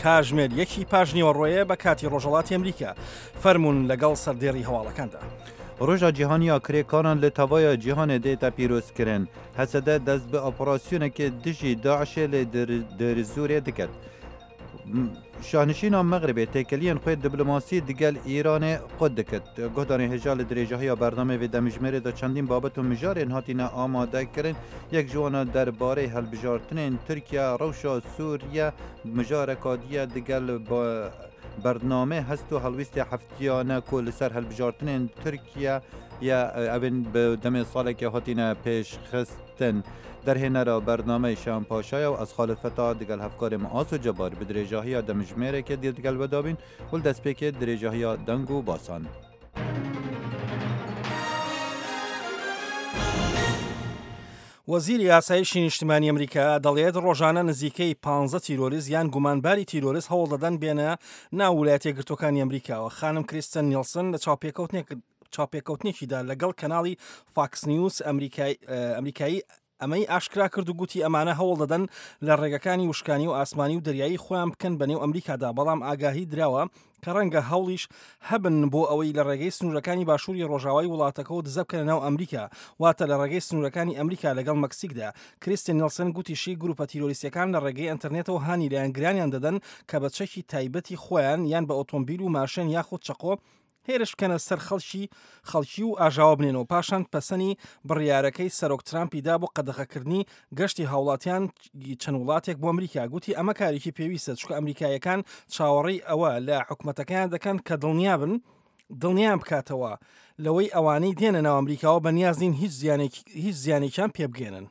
کاژمێر یەکی پاش نیوەڕۆیە بە کاتی ڕۆژهەڵاتی ئەمریکا. فەرموون لەگەڵ سەردێڕی هەواڵەکاندا. ڕۆژا جیهانی یا کرێکاران لە تەڤایا جیهانێ دێتە پیرۆزکرن. هەسەدە دەست بە ئۆپراسیۆنێکێ دژی داعشێ لە دێرزورێ دکەت. شاهنشینا مەغربێ تێکەلیێن خوێ دیبلۆماسی دگەل ئیرانێ قوت دکرد. گوهدارên hêja li dirêjahiya bernameyê vê demijmêrê de çendîn babet û mijarên hatine amadekirin. Yek ji wan derbarê hilbijartinên Tirkiye, rewşa Sûriye, mijareka diye digel bernamê hest û helwîstê heftiyane ku li ser hilbijartinên Tirkiye ye evên bi demê salekê hatine pêşxistin. Derhênera bernameyê Şahan Paşa ye û ez Xalid Feta digel hevkarê min Aso Cebar bi dirêjahiya demijmêrekê dê digel we dabîn û li destpêkê dirêjahiya deng û basan. وەزیری ئاسایشی نیشتمانی ئەمریکا دەڵێت ڕۆژانە نزیکەی 15 تیرۆریست یان گومانباری تیرۆریست هەوڵ دەدەن بێنە ناو ویلایەتە یەکگرتووەکانی ئەمریکاوە. خانم کریستن نیڵسن لە چاوپێکەوتنێک چاوپێکەوتنێکیدا لەگەڵ کەناڵی فاکس نیوز ئەمریکایی ئەمەی ئاشکرا کرد و گوتی ئەمانە هەوڵ دەدەن لە ڕێگەکانی وشکانی و ئاسمانی و دەریایی خۆیان بکەن بە نێو ئەمریکادا، بەڵام ئاگاهی دراوە کە ڕەنگە هەوڵیش هەبن بۆ ئەوەی لە ڕێگەی سنوورەکانی باشووری ڕۆژاوای وڵاتەکەوە دزە بکەنە ناو ئەمریکا، واتە لە ڕێگەی سنوورەکانی ئەمریکا لەگەڵ مەکسیکدا. کریستین نیڵسن گوتیشی گرووپە تیرۆریستییەکان لە ڕێگەی ئەنتەرنێتەوە هانی لایەنگرانیان دەدەن کە بە چەکی تایبەتی خۆیان یان بە ئۆتۆمبیل و ماشێن یاخود چەقۆ هێرش بکەنە سەر خەڵکی خەڵکی و ئاژاوە بنێنەوە، پاشان پەسەنی بڕیارەکەی سەرۆک ترامپی دا بۆ قەدەغەکردنی گەشتی هاوڵاتیان چەند وڵاتێک بۆ ئەمریکا، گوتی ئەمە کارێکی پێویستە چونکە ئەمریکاییەکان چاوەڕێی ئەوە لە حکومەتەکەیان دەکەن کە دڵنیابن دڵنیان بکاتەوە لەوەی ئەوانەی دێنە ناو ئەمریکاوە بەنیاز نین هیچ زیانێک هیچ زیانێکیان پێبگەێنن.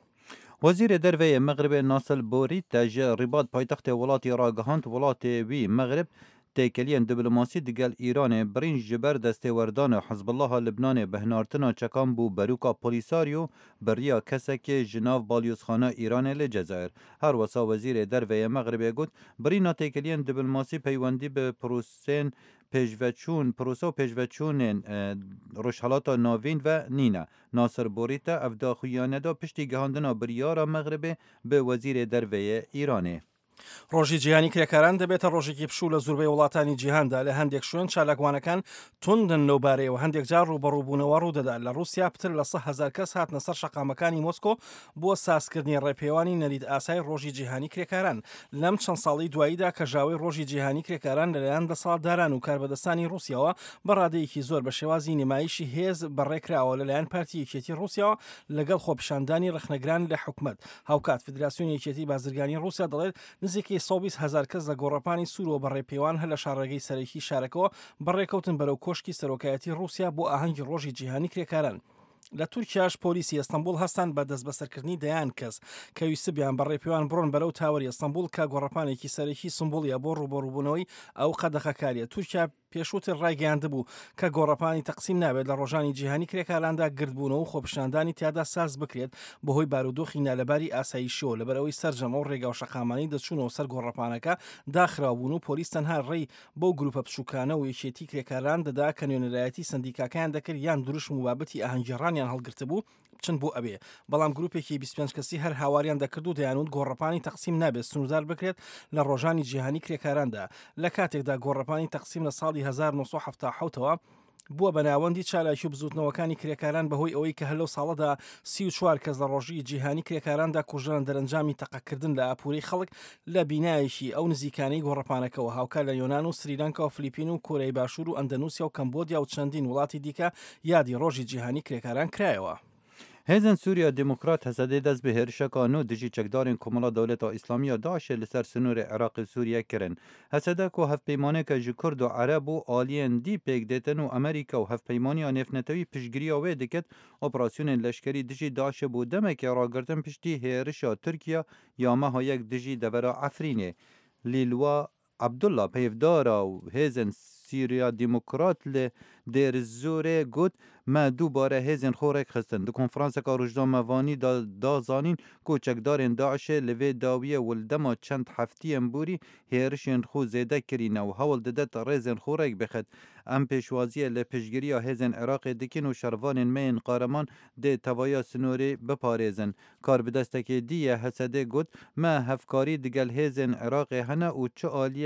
وەزیرê Derve yê Mexribê Nasir Bourita ji Rîbat paytextê welatî ragihand welatê wî Mexrib têkeliyên diplomasî digel Îranê birîn ji ber destêwerdana Hizbullaha Libnanê bi hinartina çekan bû berûka Polîsaryo bi riya kesekê ji nav balyozxana Îranê li Cezayir. Her wisa Wezîrê Derve yê Mexribê got, Birîna têkeliyên diplomasî peywendî bi prosên pêşveçûn prose û pêşveçûnên Rojhilata Navîn ve nîne. Nasir Bourita ev daxuyane da piştî gihandina biryara Mexribê bi Wezîrê Derve yê Îranê. ڕۆژی جیهانی کرێکاران دەبێتە ڕۆژێکی پشوو لە زوربەی وڵاتانی جیهاندا، لە هەندێک شوێن چالاکوانەکان توندن لەو بارەیەوە، هەندێک جار ڕووبەڕووبوونەوە ڕوودەدات. لە ڕووسیا پتر لە 100,000 کەس هاتنە سەر شەقامەکانی مۆسکۆ بۆ سازکردنی ڕێپێوانی نەریت ئاسای ڕۆژی جیهانی کرێکاران. لەم چەند ساڵەی دواییدا کەژاوەی ڕۆژی جیهانی کرێکاران لەلایەن دەسەڵاتداران و کاربەدەستانی ڕووسیاوە بە ڕادەیەکی زۆر بە شێوازی نمایشی هێز بەڕێکراوە لەلایەن پارتی یەکێتی ڕووسیاوە لەگەڵ خۆپیشاندانی ڕەخنەگران لە حکومەت. هاوکات فیدراسیۆنی یەکێتی بازرگانی ڕووسیا دەڵێت نزیکەی 120 هەزار کەس لە گۆڕەپانی سوورەوە بە ڕێپێوان هەر لە شاڕێگەی سەرەکی شارەکەوە بەڕێکەوتن بەرەو کۆشکی سەرۆکایەتی ڕووسیا بۆ ئاهەنگی ڕۆژی جیهانی کرێکاران. لە تورکیاش پۆلیسی ئەستەنبوڵ هەستان بە دەستبەسەرکردنی دەیان کەس کە ویستبیان بە ڕێپێوان بڕۆن بەرەو تاوەری ئەستەنبوڵ کە گۆڕەپانێکی سەرەکی سمبوڵیە بۆ ڕووبەڕووبوونەوەی ئەو قەدەغەکاریە. تورکیا پێشووتر ڕایگەیاندبوو کە گۆڕەپانی تەقسیم نابێت لە ڕۆژانی جیهانی کرێکاراندا گردبوونەوە و خۆپیشاندانی تیادا ساز بکرێت بەهۆی بارودۆخی نالەباری ئاسایشیەوە لەبەرئەوەی سەرجەم ئەو ڕێگا و شەقامانەی دەچوونەوە سەر گۆڕەپانەکە داخراو بوون و پۆلیس تەنها ڕێی بەو گروپە بچووکانە و یەکێتی کرێکاران دەدا کە نوێنەرایەتی سەندیکاکەیان دەکرد یان دروشم و بابەتی ئاهەنگگێڕانیان هەڵگرتبوو بچن بۆ ئەوێ، بەڵام گروپێکی 25 کەسی هەر هاواریان دەکرد و دەیانوت گۆڕەپانی تەقسیم نابێت سنووردار بکرێت لە ڕۆژانی جیهانی کرێکاراندا، لە کاتێکدا گۆڕەپانی تەقسیم لە ساڵی 1977 ەوە بووە بە ناوەندی چالاکی و بزووتنەوەکانی کرێکاران بەهۆی ئەوەی کە هەر لەو ساڵەدا 34 کەس لە ڕۆژی جیهانی کرێکاراندا کوژران دەرەنجامی تەقەکردن لە ئاپوورەی خەڵک لە بینایەکی ئەو نزیکانەی گۆڕەپانەکەوە، هاوکات لە یۆنان و سریلانکا و فلیپین و کۆریای باشوور و ئەندەنوسیا و کەمبۆدیا و چەندین وڵاتی دیکە یادی ڕۆژی جیهانی کرێکاران کرایەوە. Hêzên Sûriya Demokrat HSD dest bi hêrişeka nû dijî çekdarên Komela Dewleta Îslamî ya DAIŞ'ê li ser sinorê Iraqê û Sûriye kirin. HSD ku hevpeymaneke ji Kurd û Ereb û aliyên dî pêk dêtin û Amerîka û Hevpeymaniya Nêvnetewî piştgiriya wê diket, operasyonên leşkerî dijî DAIŞ'ê bo demekê ragirtin piştî hêrişa Tirkiye ya meha yek dijî devera Efrînê. Lîlwa Abdullah peyvdara û hêzên Sîriya Demokrat li Dêrezorê got, Me dubare hêzên xwe rêkxistin. Di konferanseke rojnamevanî de da zanîn ku çekdarên DAIŞê li vê dawiyê û li dema çend heftiyên borî hêrişên xwe zêde kirîne û hewl didet rêzên xwe rêk bixit. Em pêşwaziyê li piştgiriya hêzên Iraqê dikin û şervanên me yên qareman dê tevaya sinorê biparêzin. Karbidestekê dî yê HSD got, Me hevkarî digel hêzên Iraqê hene û çi aliyek.